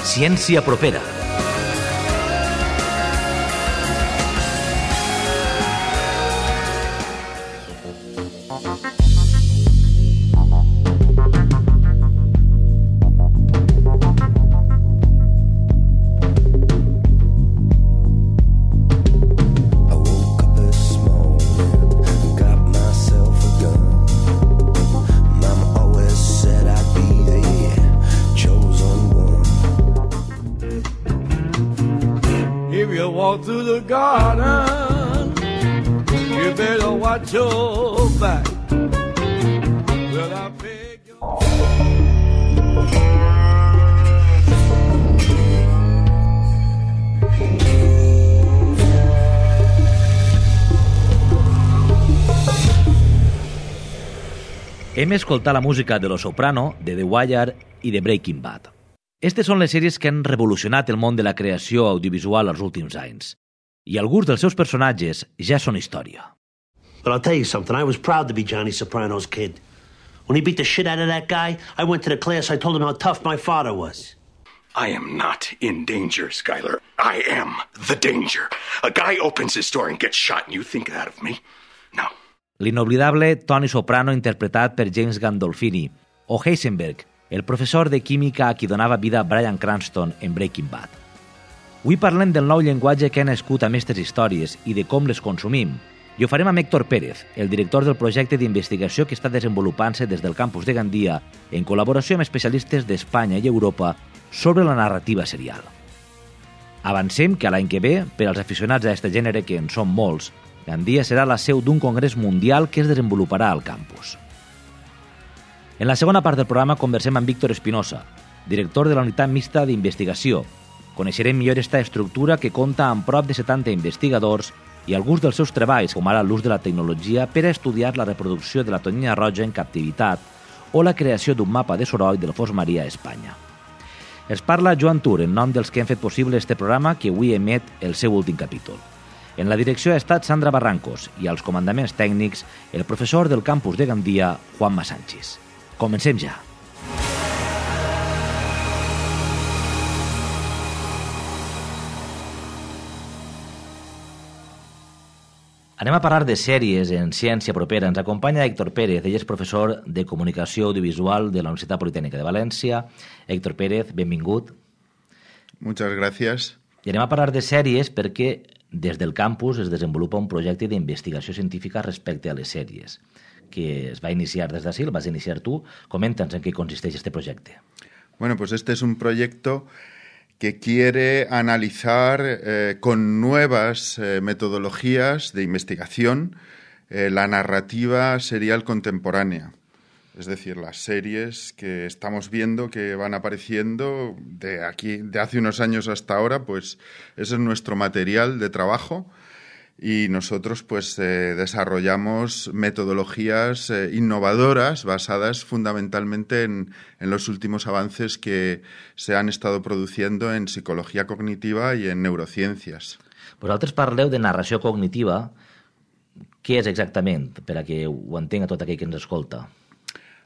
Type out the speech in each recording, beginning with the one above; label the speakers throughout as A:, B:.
A: Ciència propera.
B: Walk through the garden, you better watch your back. Well, I beg you.
A: Hem escoltat la música de Los Soprano, de The Wire i de Breaking Bad. Aquestes són les sèries que han revolucionat el món de la creació audiovisual els últims anys. I alguns dels seus personatges ja són història.
C: But I'll tell you something, I was proud to be Johnny Soprano's kid. When he beat the shit out of that guy, I went to the class, I told him how tough my father was.
D: I am not in danger, Skyler. I am the danger. A guy opens his door and gets shot, and you think that of me? No.
A: L'inoblidable Tony Soprano interpretat per James Gandolfini, o Heisenberg, el professor de química a qui donava vida Bryan Cranston en Breaking Bad. Avui parlem del nou llenguatge que ha nascut amb aquestes històries i de com les consumim, i ho farem amb Héctor Pérez, el director del projecte d'investigació que està desenvolupant-se des del campus de Gandia en col·laboració amb especialistes d'Espanya i Europa sobre la narrativa serial. Avancem que l'any que ve, per als aficionats a aquest gènere, que en són molts, Gandia serà la seu d'un congrés mundial que es desenvoluparà al campus. En la segona part del programa conversem amb Víctor Espinosa, director de la unitat mixta d'investigació. Coneixerem millor esta estructura que compta amb prop de 70 investigadors i alguns dels seus treballs, com ara l'ús de la tecnologia per a estudiar la reproducció de la tonyina roja en captivitat o la creació d'un mapa de soroll del fons marí a Espanya. Es parla Joan Tur, en nom dels que han fet possible este programa que avui emet el seu últim capítol. En la direcció ha estat Sandra Barrancos i als comandaments tècnics el professor del campus de Gandia, Juanma Sánchez. Comencem ja. Anem a parlar de sèries en ciència propera. Ens acompanya Héctor Pérez, ell és professor de Comunicació Audiovisual de la Universitat Politècnica de València. Héctor Pérez, benvingut.
E: Muchas gracias.
A: I anem a parlar de sèries perquè des del campus es desenvolupa un projecte d'investigació científica respecte a les sèries, que es va iniciar des d'ací, el vas iniciar tu. Coméntanos en qué consiste este proyecto.
E: Bueno, pues este es un proyecto que quiere analizar con nuevas metodologías de investigación la narrativa serial contemporánea. Es decir, las series que estamos viendo que van apareciendo de hace unos años hasta ahora, pues ese es nuestro material de trabajo. Y nosotros pues desarrollamos metodologías innovadoras basadas fundamentalmente en los últimos avances que se han estado produciendo en psicología cognitiva y en neurociencias.
A: Vosaltres parleu de narració cognitiva. Què és exactament, per a que ho entenga tot aquell que ens escolta?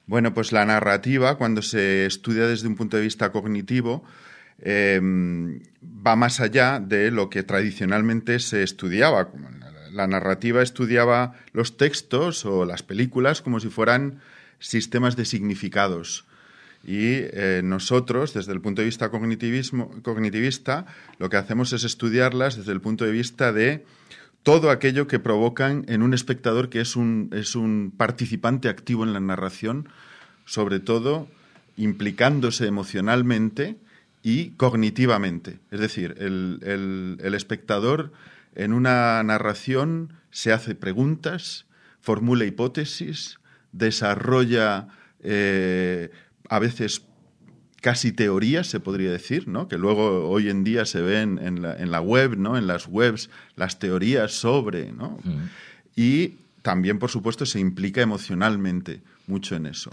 E: Bueno, pues la narrativa, cuando se estudia desde un punto de vista cognitivo, va más allá de lo que tradicionalmente se estudiaba. La narrativa estudiaba los textos o las películas como si fueran sistemas de significados. Y nosotros, desde el punto de vista cognitivista, lo que hacemos es estudiarlas desde el punto de vista de todo aquello que provocan en un espectador que es un participante activo en la narración, sobre todo implicándose emocionalmente y cognitivamente. Es decir, el espectador en una narración se hace preguntas, formula hipótesis, desarrolla a veces casi teorías, se podría decir, ¿no? Que luego hoy en día se ven en la web, ¿no? En las webs, las teorías sobre, ¿no? Y también, por supuesto, se implica emocionalmente mucho en eso.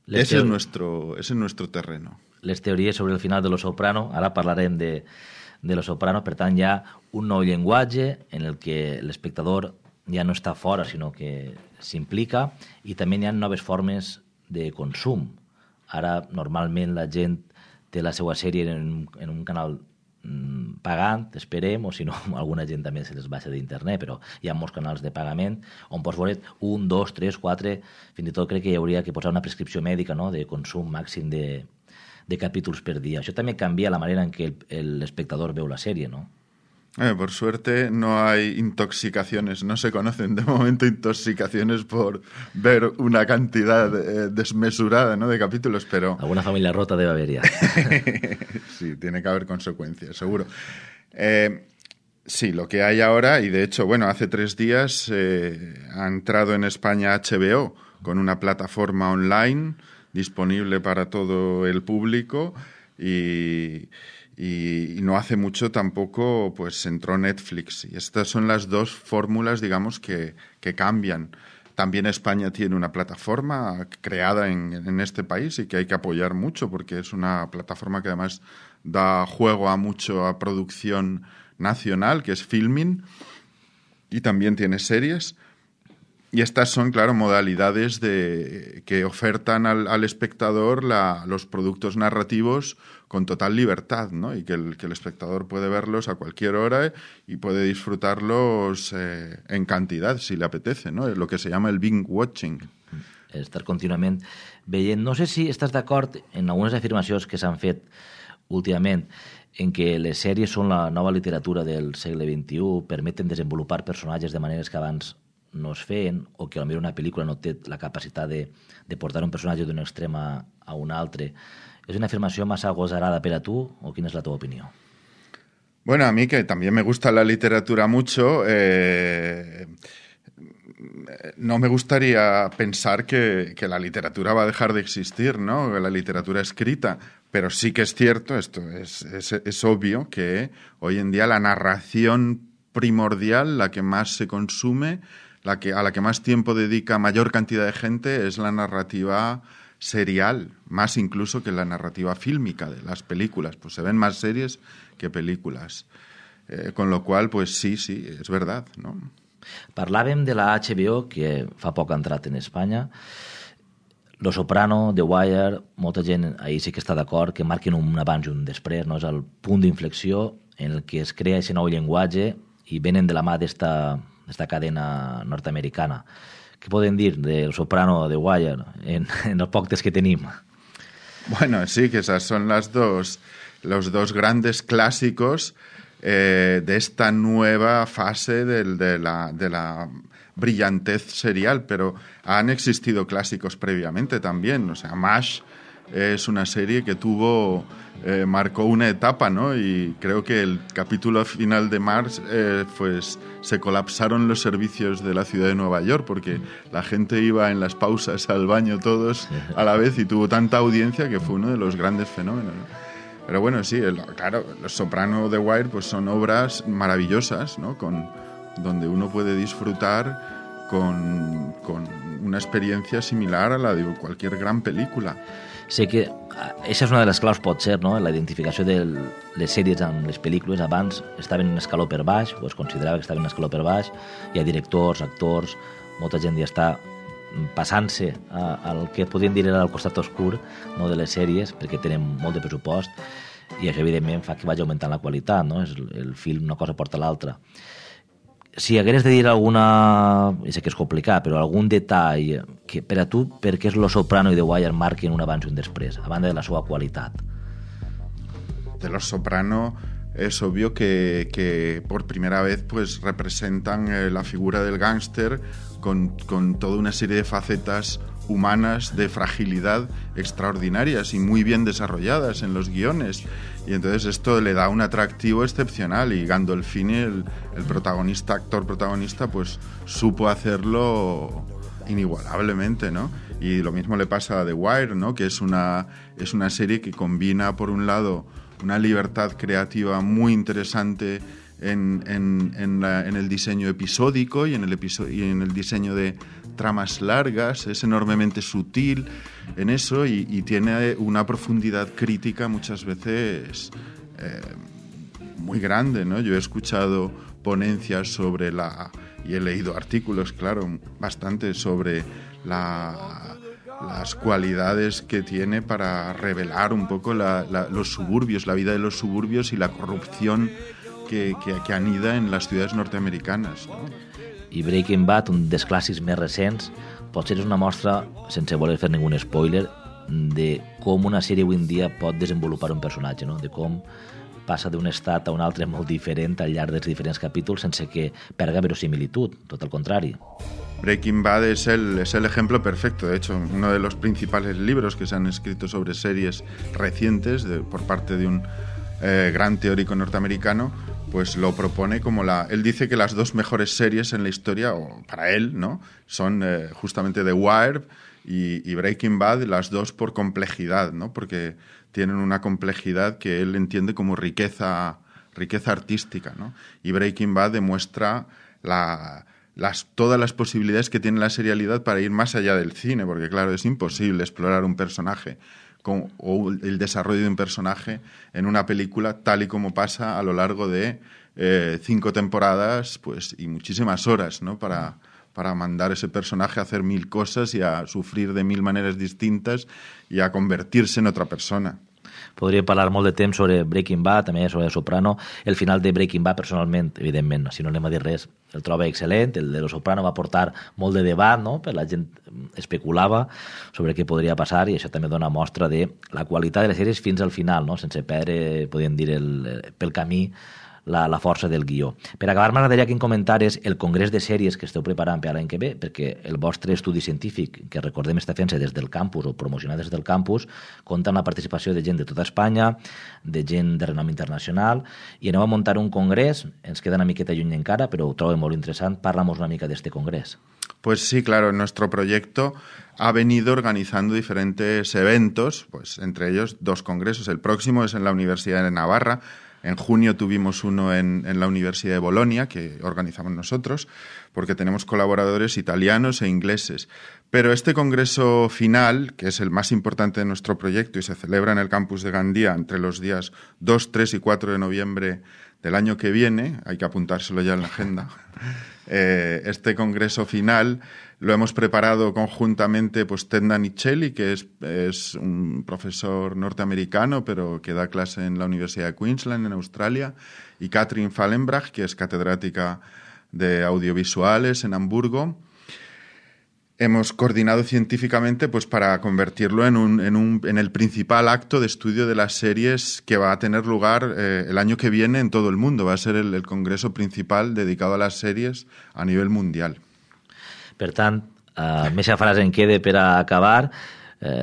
E: Ese es nuestro terreno.
A: Les teories sobre el final de Los Soprano, ara parlarem de Los Soprano, per tant hi ha un nou llenguatge en el que l'espectador ja no està fora, sinó que s'implica, i també hi ha noves formes de consum. Ara, normalment, la gent té la seva sèrie en un canal pagant, esperem, o si no, alguna gent també se les baixa d'internet, però hi ha molts canals de pagament on pots veure 1, 2, 3, 4, fins i tot crec que hi hauria que posar una prescripció mèdica, no?, de consum màxim de capítols per dia. Això també canvia la manera en què l'espectador veu la sèrie, no?
E: Por suerte no hay intoxicaciones, no se conocen de momento intoxicaciones por ver una cantidad desmesurada, ¿no?, de capítulos, pero...
A: Alguna familia rota debe haber ya.
E: Sí, tiene que haber consecuencias, seguro. Sí, lo que hay ahora, y de hecho, bueno, hace 3 días ha entrado en España HBO con una plataforma online disponible para todo el público y no hace mucho tampoco pues entró Netflix. Y estas son las dos fórmulas, digamos, que cambian. También España tiene una plataforma creada en este país y que hay que apoyar mucho porque es una plataforma que además da juego a producción nacional, que es Filmin, y también tiene series. Y estas son, claro, modalidades que ofertan al espectador los productos narrativos con total libertad, ¿no? Y que el espectador puede verlos a cualquier hora y puede disfrutarlos en cantidad, si le apetece, ¿no? Es lo que se llama el binge watching.
A: Estar contínuament veient. No sé si estàs d'acord en algunes afirmacions que s'han fet últimament en què les sèries són la nova literatura del segle XXI, permeten desenvolupar personatges de maneres que abans no es feien, o que potser una pel·lícula no té la capacitat de portar un personatge d'un extrem a un altre. ¿Es una afirmación más agosarada para tú o quién es la tu opinión?
E: Bueno, a mí que también me gusta la literatura mucho, no me gustaría pensar que la literatura va a dejar de existir, ¿no? La literatura escrita, pero sí que es cierto, esto es obvio, que hoy en día la narración primordial, la que más se consume, a la que más tiempo dedica mayor cantidad de gente, es la narrativa serial, más incluso que la narrativa fílmica de las películas. Pues se ven más series que películas. Con lo cual, pues sí, és verdad, no?
A: Parlàvem de la HBO, que fa poc ha entrat en Espanya. Lo Soprano, The Wire, molta gent ahir sí que està d'acord que marquen un abans i un després, no? És el punt d'inflexió en el que es crea aquest nou llenguatge i venen de la mà d'esta cadena nord-americana. ¿Qué pueden decir del Soprano o de Wire en los podcasts que tenemos?
E: Bueno, sí, que esas son los dos grandes clásicos de esta nueva fase de la brillantez serial, pero han existido clásicos previamente también. O sea, MASH es una serie que marcó una etapa, ¿no? Y creo que el capítulo final de MASH, pues se colapsaron los servicios de la ciudad de Nueva York porque la gente iba en las pausas al baño todos a la vez y tuvo tanta audiencia que fue uno de los grandes fenómenos, ¿no? Pero bueno, sí, claro, Los Soprano, The Wire, pues son obras maravillosas, ¿no? Donde uno puede disfrutar con una experiencia similar a la de cualquier gran película.
A: Sé que aquesta és una de les claus, pot ser, no? La identificació de les sèries amb les pel·lícules. Abans estaven en un escaló per baix, o es considerava que estaven en un escaló per baix. Hi ha directors, actors, molta gent ja està passant-se al que podríem dir era el costat oscur, no, de les sèries, perquè tenen molt de pressupost, i això evidentment fa que vagi augmentant la qualitat, no? El film una cosa porta l'altra. Si hagués de dir alguna, i sé que és complicat, però algun detall que per a tu, per què és Lo Soprano i The Wire marquen un abans i un després, a banda de la seva qualitat?
E: De Los Soprano es obvio que por primera vez pues representan la figura del gángster con toda una serie de facetas humanas de fragilidad extraordinarias y muy bien desarrolladas en los guiones. Y entonces esto le da un atractivo excepcional y Gandolfini, el actor protagonista, pues supo hacerlo inigualablemente, ¿no? Y lo mismo le pasa a The Wire, ¿no? Que es una serie que combina, por un lado, una libertad creativa muy interesante en el diseño episódico y en el diseño de tramas largas. Es enormemente sutil en eso y tiene una profundidad crítica muchas veces muy grande, ¿no? Yo he escuchado ponencias sobre y he leído artículos, claro, bastante sobre las cualidades que tiene para revelar un poco los suburbios, la vida de los suburbios y la corrupción que anida en les ciutats norteamericanes, no?
A: I Breaking Bad, un dels clàssics més recents, potser és una mostra, sense voler fer ningú spoiler, de com una sèrie avui en dia pot desenvolupar un personatge, no? De com passa d'un estat a un altre molt diferent al llarg dels diferents capítols sense que perga verosimilitud, tot el contrari.
E: Breaking Bad es el ejemplo perfecto. De hecho, uno de los principales libros que se han escrito sobre series recientes por parte de un gran teórico norteamericano, pues lo propone como él dice que las dos mejores series en la historia, o para él, ¿no?, son justamente The Wire y Breaking Bad, las dos por complejidad, ¿no?, porque tienen una complejidad que él entiende como riqueza artística, ¿no? Y Breaking Bad demuestra todas las posibilidades que tiene la serialidad para ir más allá del cine, porque claro, es imposible explorar un personaje o el desarrollo de un personaje en una película tal y como pasa a lo largo de 5 temporadas, pues, y muchísimas horas, ¿no?, para mandar ese personaje a hacer 1000 cosas y a sufrir de 1000 maneres distintas y a convertirse en otra persona.
A: Podria parlar molt de temps sobre Breaking Bad, també sobre Soprano. El final de Breaking Bad, personalment, evidentment, si no anem a dir res, el troba excel·lent. El de Soprano va portar molt de debat, no?, per la gent especulava sobre què podria passar, i això també dona mostra de la qualitat de les sèries fins al final, no?, sense perdre, podríem dir, pel camí la força del guió. Per acabar, m'agradaria que em comentares el congrés de sèries que esteu preparant per l'any que ve, perquè el vostre estudi científic, que recordem està fent-se des del campus o promocionat des del campus, compta amb la participació de gent de tota Espanya, de gent de renom internacional, i aneu a muntar un congrés, ens queda una miqueta lluny encara, però ho trobo molt interessant. Parla'ns una mica d'este congrés.
E: Pues sí, claro, nuestro proyecto ha venido organizando diferentes eventos, pues entre ellos 2 congresos. El próximo es en la Universidad de Navarra. En junio tuvimos uno en la Universidad de Bolonia, que organizamos nosotros, porque tenemos colaboradores italianos e ingleses. Pero este congreso final, que es el más importante de nuestro proyecto y se celebra en el campus de Gandía entre los días 2, 3 y 4 de noviembre del año que viene, hay que apuntárselo ya en la agenda, este congreso final lo hemos preparado conjuntamente, pues, Ted Nanicelli, que es un profesor norteamericano, pero que da clase en la Universidad de Queensland, en Australia, y Katrin Fallenbrach, que es catedrática de audiovisuales en Hamburgo. Hemos coordinado científicamente, pues, para convertirlo en el principal acto de estudio de las series que va a tener lugar el año que viene en todo el mundo. Va a ser el congreso principal dedicado a las series a nivel mundial.
A: Per tant, més frase en queda per a acabar.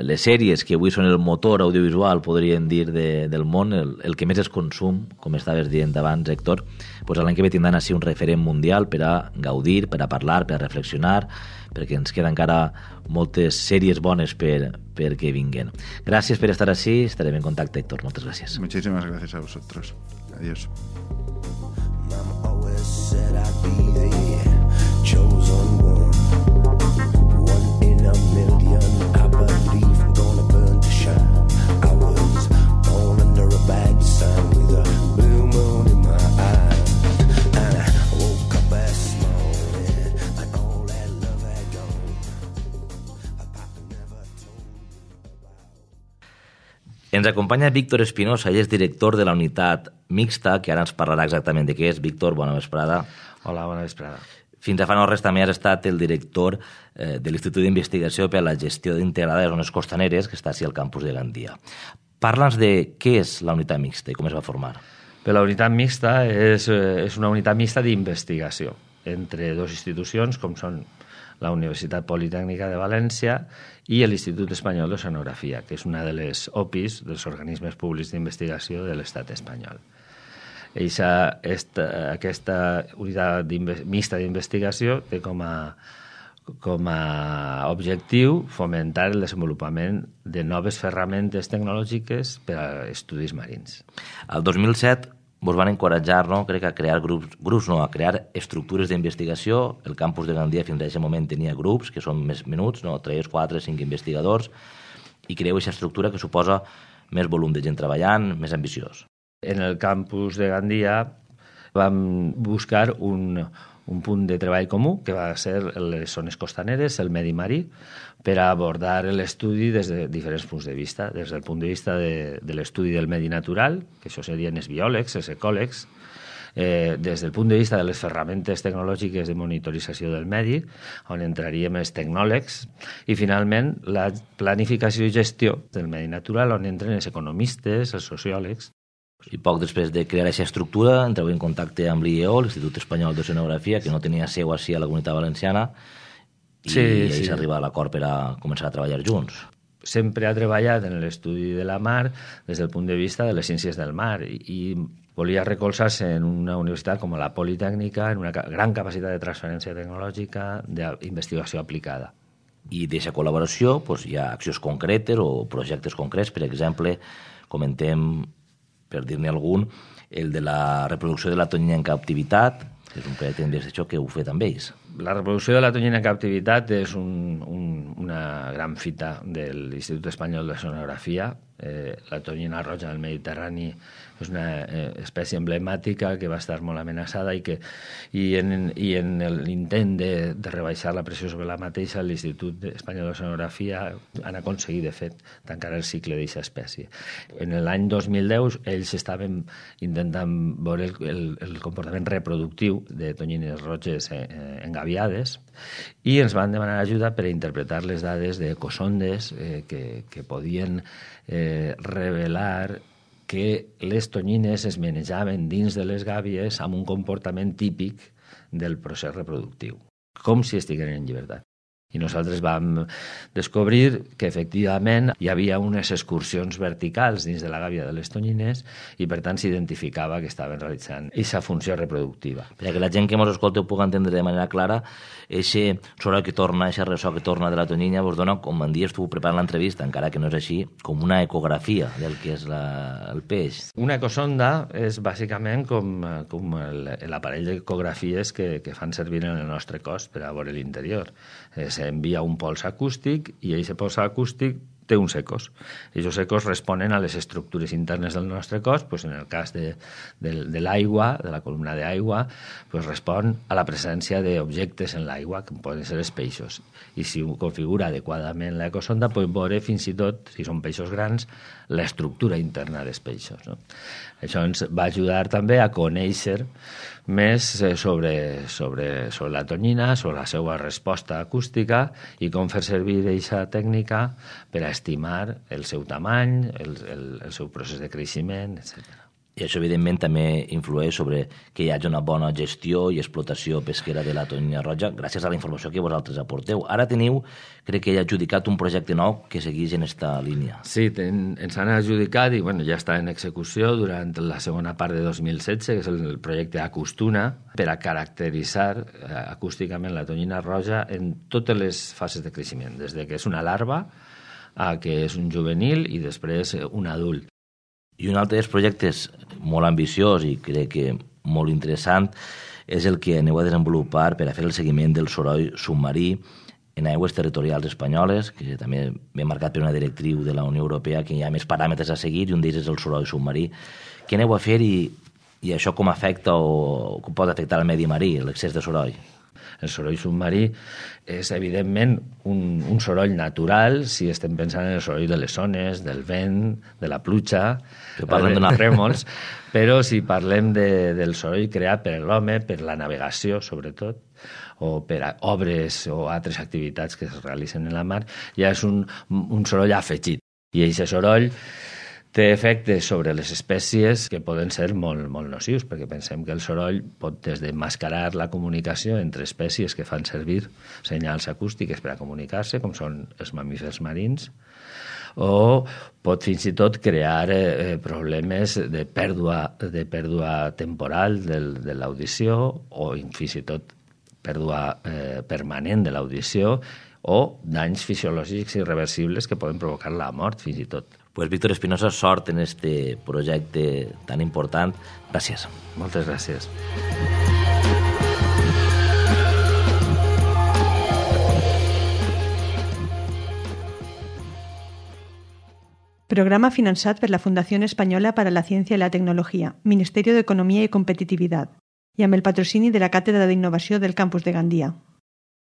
A: Les sèries que avui són el motor audiovisual, podríem dir, del món, el que més es consum, com estaves dient abans, Héctor, doncs l'any que ve tindran així un referent mundial per a gaudir, per a parlar, per a reflexionar, perquè ens queden encara moltes sèries bones perquè vinguen. Gràcies per estar així, estarem en contacte, Héctor. Moltes gràcies.
E: Muchísimas gracias a vosotros. Adiós.
B: Mama always said I'd be the chosen one in a million. I believe I'm gonna burn to shine. I was born under a bad sign with a blue moon in my eye, and I woke up this morning and all that love had gone. Papa never told me about.
A: Ens acompanya Víctor Espinosa, ell és director de la unitat mixta, que ara ens parlarà exactament de què és. Víctor, bona vesprada.
F: Hola, bona vesprada.
A: Fins a fa no res també has estat el director de l'Institut d'Investigació per a la Gestió Integrada de Zones Costaneres, que està així al campus de Gandia. Parla'ns de què és la unitat mixta i com es va formar.
F: La unitat mixta és una unitat mixta d'investigació entre 2 institucions, com són la Universitat Politècnica de València i l'Institut Espanyol d'Oceanografia, que és una de les OPIs, dels organismes públics d'investigació de l'Estat espanyol. Aquesta unitat mixta d'investigació té com a objectiu fomentar el desenvolupament de noves ferramentes tecnològiques per a estudis marins.
A: El 2007 vos van encoratjar, no? Crec, a crear a crear estructures d'investigació. El campus de Gandia fins a aquest moment tenia grups, que són més menuts, no? 3, 4, 5 investigadors, i creeu aquesta estructura que suposa més volum de gent treballant, més ambiciós.
F: En el campus de Gandia vam buscar un un punt de treball comú, que va ser les zones costaneres, el medi marí, per a abordar l'estudi des de diferents punts de vista. Des del punt de vista de l'estudi del medi natural, que això serien els biòlegs, els ecòlegs, des del punt de vista de les ferramentes tecnològiques de monitorització del medi, on entraríem els tecnòlegs, i finalment la planificació i gestió del medi natural, on entren els economistes, els sociòlegs.
A: I poc després de crear aquesta estructura, entreu en contacte amb l'IEO, l'Institut Espanyol d'Oceanografia, que no tenia seu així a la Comunitat Valenciana, i ahí s'arriba a l'acord per a començar a treballar junts.
F: Sempre ha treballat en l'estudi de la mar des del punt de vista de les ciències del mar i volia recolzar-se en una universitat com la Politècnica, en una gran capacitat de transferència tecnològica, d'investigació aplicada.
A: I d'aquesta col·laboració hi ha accions concretes o projectes concrets. Per exemple, comentem, per dir-ne algun, el de la reproducció de la tonyina en captivitat, que és un projecte d'investigació que heu fet amb ells.
F: La reproducció de la tonyina en captivitat és una gran fita de l'Institut Espanyol d'Oceanografia. La tonyina roja del Mediterrani és una espècie emblemàtica que va estar molt amenaçada i en l'intent de rebaixar la pressió sobre la mateixa, l'Institut Espanyol d'Oceanografia han aconseguit, de fet, tancar el cicle d'aquesta espècie. En l'any 2010 ells estaven intentant veure el comportament reproductiu de tonyines roges engaviades i ens van demanar ajuda per a interpretar les dades d'ecosondes que podien revelar que les tonyines es manejaven dins de les gàbies amb un comportament típic del procés reproductiu, com si estiguessin en llibertat. I nosaltres vam descobrir que efectivament hi havia unes excursions verticals dins de la gàbia de les tonyines i per tant s'identificava que estaven realitzant aquesta funció reproductiva.
A: Perquè la gent que ens escolta ho pugui entendre de manera clara, aquest soroll que torna, aquest ressò que torna de la tonyina, vos dona, com en dies tu preparant l'entrevista, encara que no és així, com una ecografia del que és el peix.
F: Una ecosonda és bàsicament com l'aparell d'ecografies que fan servir en el nostre cos per a veure l'interior. S'envia un pols acústic i aquest pols acústic té uns ecos. I aquests ecos responen a les estructures internes del nostre cos, en el cas de l'aigua, de la columna d'aigua, respon a la presència d'objectes en l'aigua, que poden ser els peixos. I si ho configura adequadament l'ecosonda, pot veure fins i tot, si són peixos grans, l'estructura interna dels peixos. No? Això ens va ajudar també a conèixer més sobre la tonyina, sobre la seva resposta acústica i com fer servir aquesta tècnica per a estimar el seu tamany, el seu procés de creixement, etc.
A: I això, evidentment, també influeix sobre que hi hagi una bona gestió i explotació pesquera de la tonyina roja gràcies a la informació que vosaltres aporteu. Ara teniu, crec que hi ha adjudicat un projecte nou que segueix en aquesta línia.
F: Sí, ens han adjudicat i ja està en execució durant la segona part de 2016, que és el projecte Acustuna, per a caracteritzar acústicament la tonyina roja en totes les fases de creixement, des que és una larva a que és un juvenil i després un adult.
A: I un altre dels projectes molt ambiciós i crec que molt interessant és el que aneu a desenvolupar per a fer el seguiment del soroll submarí en aigües territorials espanyoles, que també ve marcat per una directriu de la Unió Europea que hi ha més paràmetres a seguir i un d'ells és el soroll submarí. Què aneu a fer i això com afecta o com pot afectar el medi marí, l'excés de soroll?
F: El soroll submarí és, evidentment, un soroll natural si estem pensant en el soroll de les ones, del vent, de la pluja, dels rèmols, però si parlem del soroll creat per l'home, per la navegació, sobretot, o per a obres o altres activitats que es realitzen en la mar, ja és un soroll afegit. I aquest soroll té efectes sobre les espècies que poden ser molt, molt nocius, perquè pensem que el soroll pot des de mascarar la comunicació entre espècies que fan servir senyals acústiques per a comunicar-se, com són els mamífers marins, o pot fins i tot crear problemes de pèrdua temporal de l'audició o fins i tot pèrdua permanent de l'audició o danys fisiològics irreversibles que poden provocar la mort fins i tot.
A: Pues Víctor Espinosa, sort en este projecte tan important. Gràcies.
F: Moltes gràcies.
G: Programa finançat per la Fundación Española para la Ciencia y la Tecnología, Ministerio de Economía y Competitividad. i amb el patrocini de la Càtedra d'Innovació del Campus de Gandia.